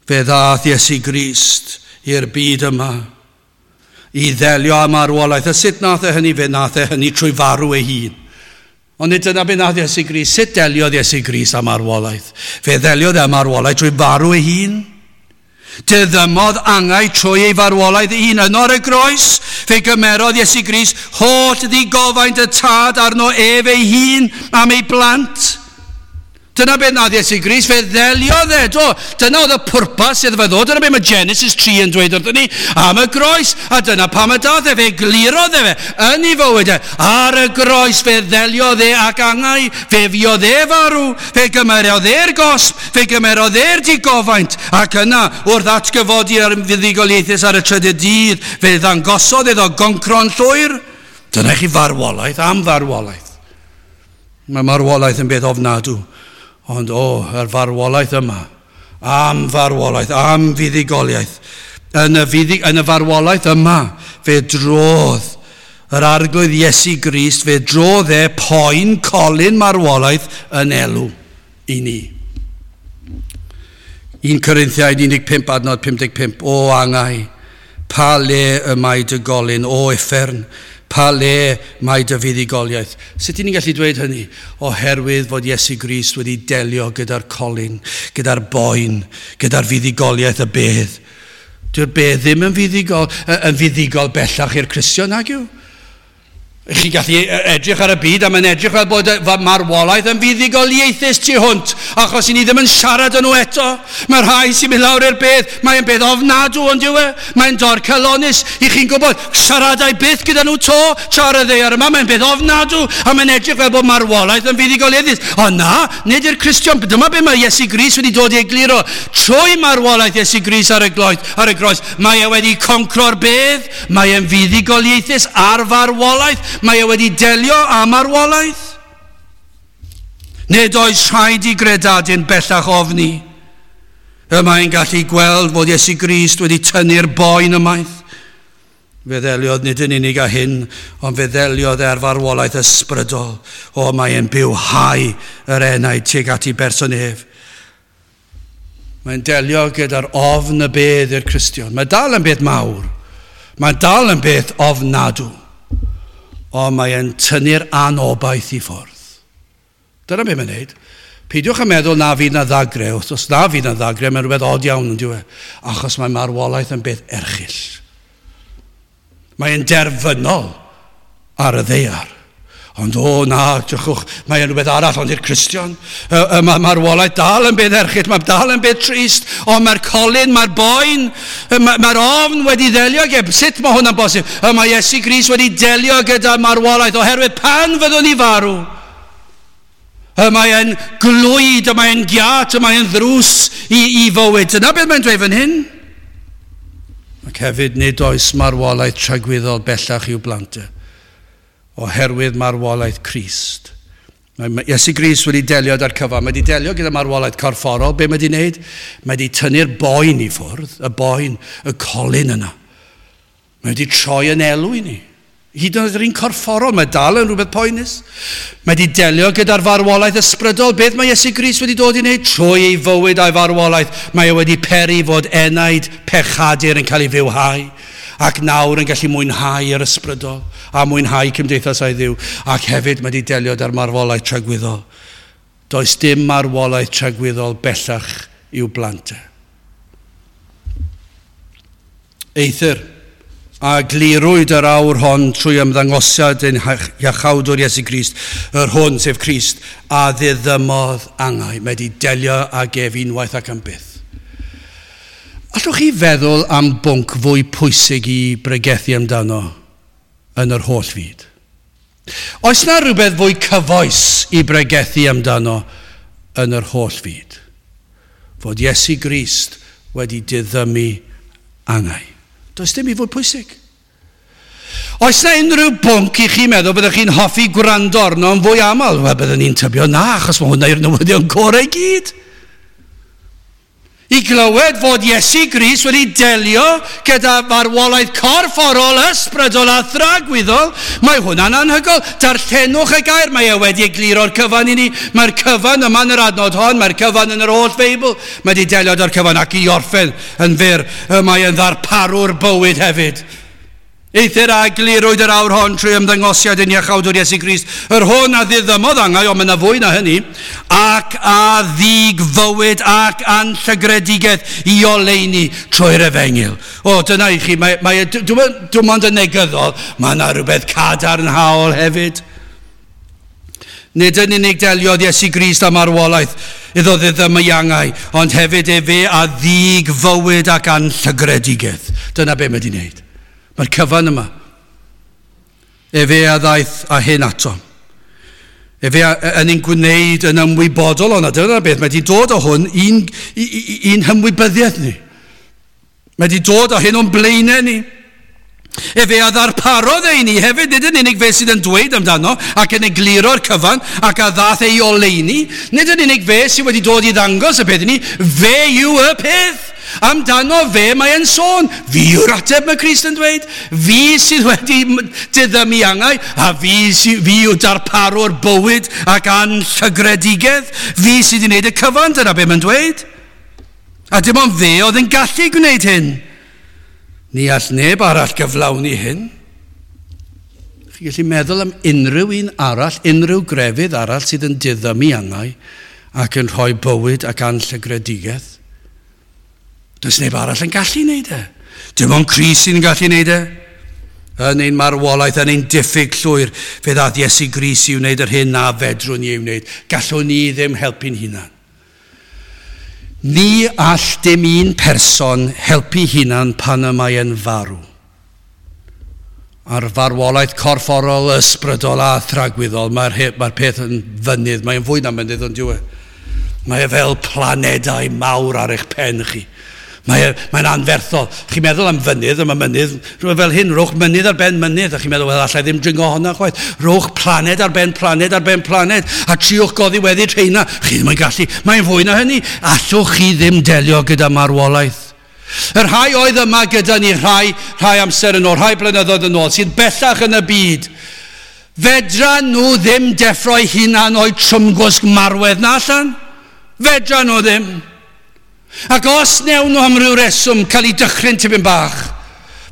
Speaker 1: Fe ddath Iesu Grist i'r byd yma i ddelio â marwolaeth. A sut nath e hynny? Fe nath e hynny trwy farw ei hun. Ond nid dyna be nath Iesu Grist. Sut deliodd Iesu Grist â marwolaeth? Fe ddeliodd e â marwolaeth trwy farw ei hun. Diddymodd angau trwy ei farwolaeth ei hun. Yno ar y groes, fe gymerodd Iesu Grist holl ddigofaint y tad arno ef ei hun am ei blant. Dyna beth nath Iesu Grist, fe ddeliodd e, do. Dyna oedd y pwrpas iddo fe ddod, dyna beth mae Genesis tri yn dweud wrthyn ni am y groes, a dyna pam y dath e, fe glirodd e fe yn ei fywyd e. Ar y groes fe ddeliodd e ac angau, fe fuodd e farw, fe gymerodd e'r gosb, fe gymerodd e'r digofaint, ac yna wrth atgyfodi ar fuddugoliaethus ar y trydydd dydd, fe ddangosodd iddo goncro'n llwyr. Dyna chi farwolaeth am farwolaeth. Mae marwolaeth yn beth ofnadw. Ond o, yr farwolaeth yma, am farwolaeth, am fuddugoliaeth. Yn y, fuddug, yn y farwolaeth yma, fe drodd yr Arglwydd Iesu Grist, fe drodd e poen colyn marwolaeth yn elw i ni. Un Corinthiaid un deg pump adnod pum deg pump, o angau, pa le y mae dy golyn, o uffern, pa le mae dy fuddugoliaeth. Sut ydyn ni'n gallu dweud hynny? Oherwydd fod Iesu Grist wedi delio gyda'r colyn, gyda'r boen, gyda'r fuddugoliaeth y bedd. Dyw'r bedd ddim yn fuddugol, yn fuddugol bellach i'r Cristion, nag yw? Chi'n gallu edrych ar y byd a mae'n edrych fel bod marwolaeth yn fuddugoliaethus tu hwnt, achos i ni ddim yn siarad yn nhw eto. Mae'r rhai sy'n mynd lawr i'r bedd, mae'n bedd ofnadw ond yw e, mae'n dorcalonnus. I chi'n gwybod, siaradau byth gyda nhw to, tra ar y ddaear yma, mae'n bedd ofnadw, a mae'n edrych fel bod marwolaeth yn fuddugoliaethus. Ond na, nid i'r Cristion, dyma be mae Iesu Grist wedi dod i egluro. Trwy marwolaeth Iesu Grist ar y gloes, ar y groes, mae e wedi concro'r bedd, mae e'n fuddugoliaethus ar farwolaeth, mae e wedi delio â marwolaeth. Nid oes rhaid i gredadun bellach ofni. Y mae'n gallu gweld fod Iesu Grist wedi tynnu'r boen ymaith. Fe ddeliodd nid yn unig â hyn, ond fe ddeliodd ar farwolaeth ysbrydol. O, mae e'n bywhau yr enaid tuag at ei berson ef. Mae'n delio gyda'r ofn y bedd i'r Cristion. Mae dal yn beth mawr. Mae dal yn beth ofnadw. Ond mae e'n tynnu'r anobaith i ffwrdd. Dyna beth mae'n neud. Peidiwch yn meddwl na fydd na ddagre. Os na fydd na ddagre, mae'n rhywbeth od iawn yn dyw e. Achos mae marwolaeth yn beth erchyll. Mae'n derfynol ar y ddaear. Ond o na, drychwch, mae'n rhywbeth arall ond i'r Cristion. Mae marwolaeth dal yn beth erchyll, mae dal yn beth trist, ond mae'r colyn, mae'r boen, mae'r ofn wedi delio gyda. Sut mae hwnna'n bosib? Mae Iesu Grist wedi delio gyda marwolaeth oherwydd pan fyddwn ni farw, mae'n glwyd, mae'n giat, mae'n ddrws i, i fywyd. Dyna beth mae'n dweud fan hyn. Ac hefyd nid oes marwolaeth tragwyddol bellach i'w blant, oherwydd marwolaeth Crist. Mae Iesu Grist wedi delio â'r cyfan. Mae wedi delio gyda marwolaeth corfforol. Be mae wedi wneud? Mae wedi tynnu'r boen i ffwrdd, y boen, y colyn yna. Mae wedi troi yn elw i ni. Hyd yn oed yr un corfforol, mae dal yn rhywbeth poenus. Mae wedi delio gyda'r farwolaeth ysbrydol. Beth mae Iesu Grist wedi dod i wneud? Trwy ei fywyd a'i farwolaeth, mae e wedi peri fod enaid pechadur yn cael ei fywhau, ac nawr yn gallu mwynhau yr ysbrydol a mwynhau cymdeithas â'i Dduw. Ac hefyd mae wedi delio â'r marwolaeth tragwyddol. Does dim marwolaeth tragwyddol bellach i'w blant. Eithr, a glirwyd yr awr hon trwy ymddangosiad ein Iachawdwr Iesu Grist, yr hwn, sef Crist, a ddiddymodd angau. Mae wedi delio ag ef unwaith ac am byth. Allwch chi feddwl am bwnc fwy pwysig i bregethu amdano yn yr holl fyd? Oes na rhywbeth fwy cyfoes i bregethu amdano yn yr holl fyd? Fod Iesu Grist wedi diddymu angau. Does dim i fod pwysig. Oes na unrhyw bwnc i chi meddwl byddwch chi'n hoffi gwrando arno yn fwy aml? Wel, byddwn ni'n tybio na, achos mae hwnna i'r newyddion gorau i gyd. I glywed fod Iesu Grist wedi delio gyda marwolaeth corfforol, ysbrydol a thragwyddol, mae hwnna'n anhygoel. Darllenwch y gair, mae e wedi egluro'r cyfan i ni. Mae'r cyfan yma yn yr adnod hon, mae'r cyfan yn yr holl Feibl. Mae wedi delio â'r cyfan ac i orffen yn fyr. Mae e'n ddarparwr bywyd hefyd. Eithr a glirwyd yr awr hon trwy ymddangosiad ein Iachawdwr Iesu Grist, yr hwn a ddiddymodd angau, ond mae yna fwy na hynny, ac a ddig fywyd ac anllygredigaeth i oleuni trwy'r efengyl. O, dyna i chi, mae, mae, dwi'n mond yn negyddol, mae yna rhywbeth cadarnhaol hefyd. Nid yn unig deliodd Iesu Grist â marwolaeth iddo ddiddymu angau, ond hefyd efe a ddug fywyd ac anllygredigaeth. Dyna be mae wedi wneud. Mae'r cyfan yma. Efe a ddaeth â hyn ato. Efe yn ein gwneud yn ymwybodol o'na. Dyna beth, mae wedi dod o hwn i'n, i'n hymwybyddiaeth ni. Mae wedi dod o hyn o'n blaenau ni. Efe a ddarparodd e i ni hefyd, nid yn unig fe sydd yn dweud amdano ac yn egluro'r cyfan ac a ddath ei oleuni, nid yn unig fe sydd wedi dod i ddangos y peth i ni, fe yw y peth. Amdano fe mae e'n sôn. Fi yw'r ateb, mae Crist yn dweud. Fi sydd wedi diddymu angau, a fi, sy, fi yw darparwr bywyd ac anllygredigaeth. Fi sydd wedi gwneud y cyfan, dyna be mae'n dweud. A dim ond fe oedd yn gallu gwneud hyn. Ni all neb arall gyflawni hyn. Chi'n gallu meddwl am unrhyw un arall, unrhyw grefydd arall sydd yn diddymu angau ac yn rhoi bywyd ac anllygredigaeth. Does neb arall yn gallu wneud e. Dim ond Crist sy'n gallu wneud e. Yn ein marwolaeth, yn ein diffyg llwyr, fe ddaeth Iesu Grist i wneud yr hyn na fedrwn ni ei wneud. Gallwn ni ddim helpu'n hunan. Ni all dim un person helpu hunan pan y mae yn farw. A'r farwolaeth corfforol, ysbrydol a thragwyddol, mae'r mae peth yn fynydd, mae'n fwy na mynydd ond dyw e. Mae e fel planedau mawr ar eich pen chi. Mae, mae'n anferthol. Chi'n meddwl am fynydd, yma mynydd, rhywbeth fel hyn, rhowch mynydd ar ben mynydd, a chi'n meddwl, wel, allai ddim dringo hwnna chwaith. Rhowch planed ar ben planed ar ben planed, a triwch goddiweddyd rheina. Chi ddim yn gallu, mae'n fwy na hynny. Allwch chi ddim delio gyda marwolaeth. Y rhai oedd yma gyda ni rhai, rhai amser yn ôl, rhai blynyddoedd yn ôl, sydd bellach yn y byd, fedra nhw ddim deffro'i hunan o'i trwmgwsg marwedd na allan. Fedra nhw ddim. Ac os newn nhw am ryw reswm cael eu dychryn tipyn bach,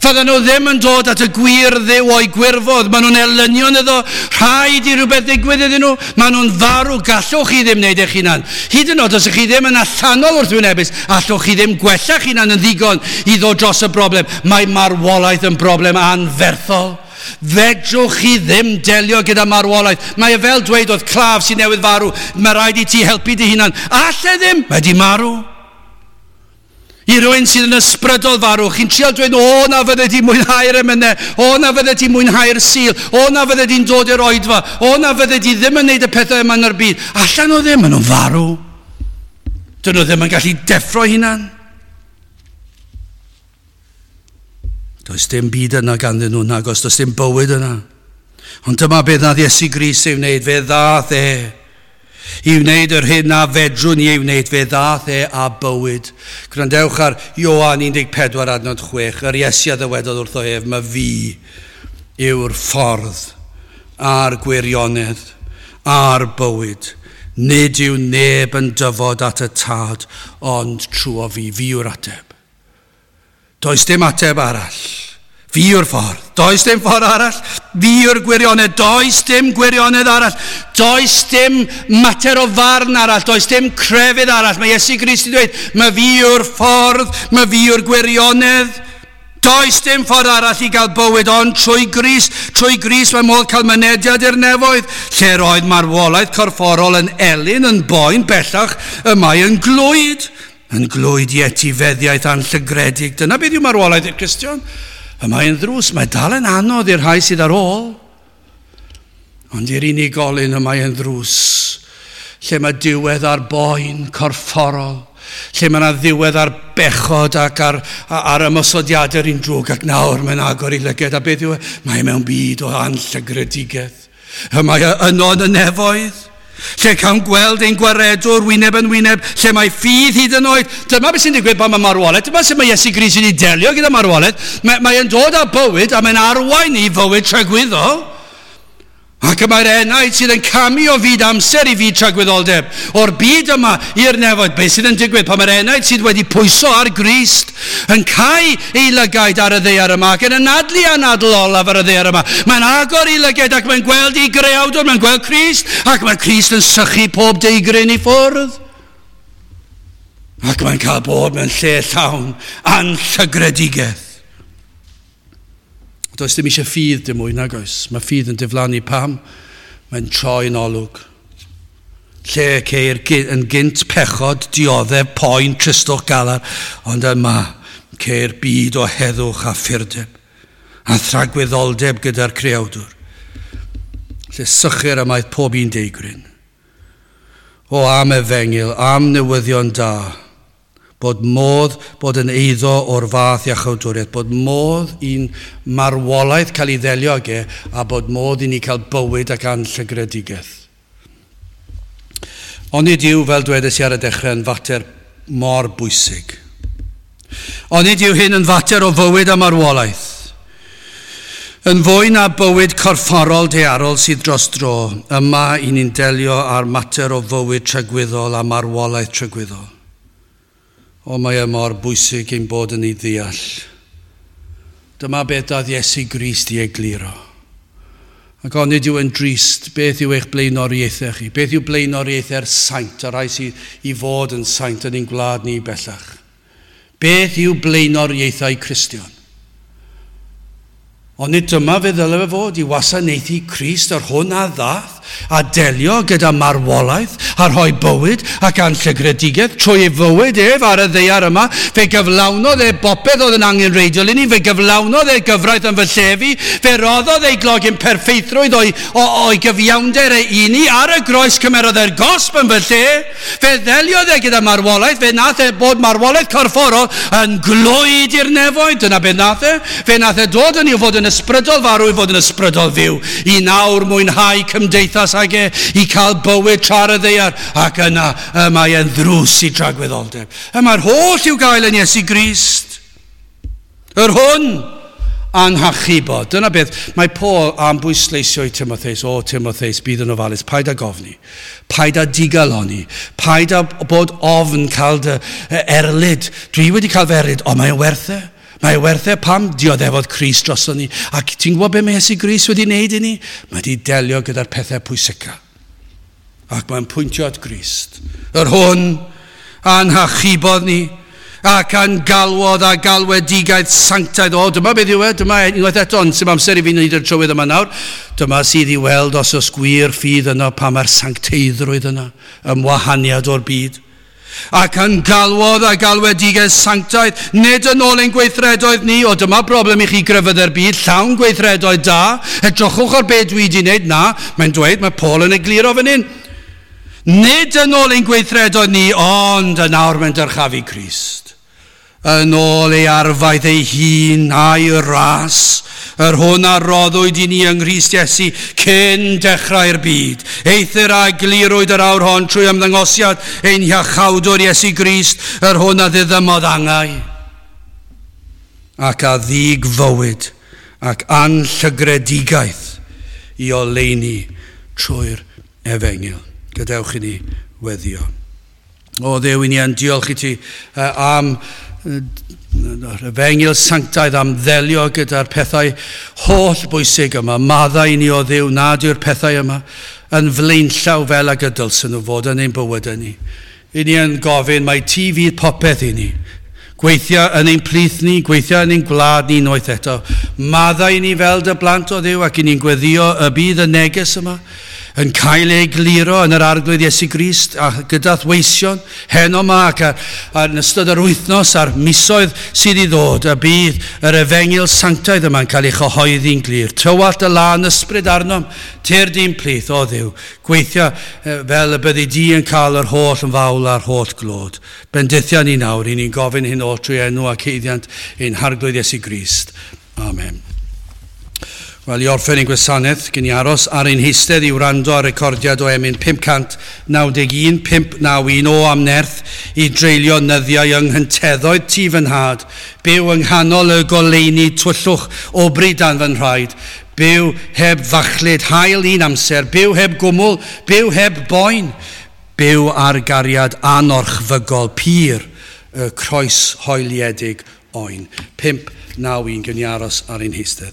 Speaker 1: fydden nhw ddim yn dod at y gwir Dduw o'i gwirfodd. Maen nhw'n elynion iddo, rhaid i rhywbeth ddigwydd iddyn nhw. Maen nhw'n farw, gallwch chi ddim wneud eich hunan. Hyd yn oed os ych chi ddim yn allanol wrthwynebus, allwch chi ddim gwella'ch hunan yn ddigon i ddod dros y broblem. Mae marwolaeth yn broblem anferthol. Fedrwch chi ddim delio gyda marwolaeth. Mae e fel dweud oedd claf sy'n newydd farw, mae rhaid i ti helpu dy hunan. Alle ddim, mae di marw. I rywun sydd yn ysbrydol farw, chi'n trial dweud, o na fydde di mwynhau'r emynau, o na fydde di mwynhau'r Sul, o na fydde di'n dod i'r oedfa, o na fydde di ddim yn neud y pethau yma yn yr byd. Allan nhw ddim, maen nhw'n farw. Dyn nhw ddim yn gallu deffro hunan. Does dim byd yna ganddyn nhw, nagos, does dim bywyd yna. Ond dyma beth nath Iesu Grist ei wneud, fe ddath e. I wneud yr hyn na fedrwn ni ei wneud, fe ddath e a bywyd. Gwrandewch ar Ioan un deg pedwar adnod chwech, yr Iesu a ddywedodd wrtho ef, mae fi yw'r ffordd a'r gwirionedd a'r bywyd. Nid yw neb yn dyfod at y tad, ond trwy fi, fi yw'r ateb. Does dim ateb arall. Fi yw'r ffordd. Does dim ffordd arall. Fi yw'r gwirionedd. Does dim gwirionedd arall. Does dim mater o farn arall. Does dim crefydd arall. Mae Iesu Grist yn dweud, mae fi yw'r ffordd, mae fi yw'r gwirionedd. Does dim ffordd arall i gael bywyd, ond trwy Grist, trwy Grist mae modd cael mynediad i'r nefoedd. Lle'r oedd marwolaeth corfforol yn elyn, yn boen, bellach, y mae yn glwyd. Yn glwyd i etifeddiaeth anllygredig. Dyna beth yw marwolaeth i'r Cristion. Y mae'n ddrws, mae dal yn anodd i'r rhai sydd ar ôl. Ond i'r unigolyn y mae'n ddrws, lle mae diwedd ar boen corfforol, lle mae yna ddiwedd ar bechod ac ar, ar ymosodiadau'r un drwg, ac nawr mae'n agor i lyged, a beth yw e? Mae mewn byd o anllygredigaeth. Y mae yno yn y nefoedd, lle cawn gweld ein gwaredwr wyneb yn wyneb, lle mae ffydd hyd yn oed. Dyma beth sy'n digwydd pan mae marwolaeth, dyma sut mae Iesu Grist wedi delio gyda marwolaeth. Mae, mae'n dod â bywyd a mae'n arwain i fywyd tragwyddol. Ac y mae'r enaid sydd yn camu o fyd amser i fyd tragwyddoldeb, o'r byd yma i'r nefoedd. Beth sydd yn digwydd pan mae'r enaid sydd wedi pwyso ar Grist yn cau ei lygaid ar y ddaear yma ac yn anadlu anadl olaf ar y ddaear yma. Mae'n agor ei lygaid ac mae'n gweld ei greawdwr, mae'n gweld Crist, ac mae Crist yn sychu pob deigryn i ffwrdd. Ac mae'n cael bod mewn lle llawn anllygredigaeth. Does dim eisiau ffydd dim mwy, nag oes. Mae ffydd yn diflannu pam? Mae'n troi'n olwg. Lle ceir yn gynt pechod, dioddef, poen, tristwch, galar, ond yma ceir byd o heddwch a phurdeb a thragwyddoldeb gyda'r creawdwr. Lle sychir ymaith pob un deigryn. O am efengyl, am newyddion da, bod modd bod yn eiddo o'r fath iachawdwriaeth, bod modd i'n marwolaeth cael ei ddelio ag e, a bod modd i ni cael bywyd ac anllygredigaeth. Ond nid yw, fel dwedais i ar y dechrau, yn fater mor bwysig. Ond nid yw hyn yn fater o fywyd a marwolaeth. Yn fwy na bywyd corfforol daearol sydd dros dro, yma i ni'n delio â'r mater o fywyd tragwyddol a marwolaeth tragwyddol. O, mae e mor bwysig ein bod yn ei ddeall. Dyma beth daeth Iesu Grist i egluro. Ac onid yw yn drist, beth yw eich blaenoriaethau chi? Beth yw blaenoriaethau'r saint, y rhai sydd i fod yn saint yn ein gwlad ni bellach? Beth yw blaenoriaethau Cristion? Ond nid dyma fe ddyle fe fod i wasanaethu Crist yr hwn a ddath, a delio gyda marwolaeth, a rhoi bywyd ac anllygredigaeth trwy ei fywyd ef ar y ddaear yma. Fe gyflawnodd e bopeth oedd yn angenrheidiol i ni, fe gyflawnodd e gyfraith yn fy lle fi, fe roddodd ei glogyn perffeithrwydd o'i, o, o'i gyfiawnder e i ni, ar y groes cymerodd e'r gosb yn fy lle, fe ddeliodd e gyda marwolaeth, fe nath e bod marwolaeth corfforol yn glwyd i'r nefoedd, dyna beth nath e, fe nath e dod yn i'w fod yn ysbrydol farw i fod yn ysbrydol fyw, i nawr mwynhau cymdeithas ag e, i cael bywyd tra ar y ddaear, ac yna y mae e'n ddrws i dragwyddoldeb. Y mae'r holl i'w gael yn Iesu Grist. Yr hwn a'n hachubod. Dyna beth mae Paul am bwysleisio i Timotheus. O, Timotheus, bydd yn ofalus. Paid â gofni. Paid â digaloni. Paid â bod ofn cael dy erlid. Dwi wedi cael fy erlid, ond mae'n werth e. Mae werth e pam dioddefodd Crist droson ni. Ac ti'n gwybod beth mae Iesu Grist wedi wneud i ni? Mae wedi delio gyda'r pethau pwysica. Ac mae'n pwyntio at Grist. Yr hwn a'n hachubodd ni ac a'n galwodd a galwedigaeth sanctaidd. O, dyma beth yw e, dyma unwaith eto, ond sy'n amser i fi wneud yr trywydd yma nawr. Dyma sydd i weld os oes gwir ffydd yno, pa mae'r sancteiddrwydd yno, ymwahaniad o'r byd. Ac yn galwodd a galwedigaeth sanctaidd, nid yn ôl ein gweithredoedd ni, o dyma broblem i chi grefyddau'r byd, llawn gweithredoedd da, edrychwch ar beth dwi wedi wneud, na, mae'n dweud, mae Paul yn egluro fan hyn. Nid yn ôl ein gweithredoedd ni, ond yn awr mae'n dyrchafu Crist. Yn ôl ei arfaeth ei hun a'i ras, yr hwn a roddwyd i ni yng Nghrist Iesu cyn dechrau'r byd. Eithr a glirwyd yr awr hon trwy ymddangosiad ein hiachawdwr Iesu Grist, yr hwn a ddiddymodd angau ac a ddig fywyd ac anllygredigaeth i oleuni trwy'r efengyl. Gadewch i ni weddio. O Dduw, i ni yn diolch i ti uh, am yr efengyl sanctaidd, am ddelio gyda'r pethau holl bwysig yma. Maddau i ni o Dduw nad yw'r pethau yma yn flaenllaw fel ag y dylsyn nhw fod yn ein bywydau ni. I ni yn gofyn mai ti fydd popeth i ni. Gweithio yn ein plith ni, gweithio yn ein gwlad ni unwaith eto. Maddau i ni fel dy blant o Dduw, ac i ni'n gweddio y bydd y neges yma yn cael ei gliro yn yr Arglwydd Iesu Grist a gyda'th weision heno yma ac ar, ar yn ystod yr wythnos a'r misoedd sydd i ddod, y bydd yr efengyl sanctaidd yma'n cael ei chyhoeddi'n glir. Tywallt y lân ysbryd arnom, tyrd i'n plith, o Dduw, gweithio fel y byddi di yn cael yr holl yn fawl a'r holl glod. Bendithia ni nawr, i ni'n gofyn hyn oll trwy enw ac haeddiant ein Harglwydd Iesu Grist. Amen. Wel, i orffen ein gwasanaeth, gen i aros ar ein heistedd i wrando ar recordiad o emyn pump cant naw deg un, pump naw un o am nerth i dreulio nyddiau yng nghynteddoedd tŷ fy nhad, byw yng nghanol y goleuni tywyllwch o bryd dan fy nhraed, byw heb fachlud haul un amser, byw heb gwmwl, byw heb boen, byw ar gariad anorchfygol pur y croes hoeliedig oen. pump naw un, gen i aros ar ein heistedd.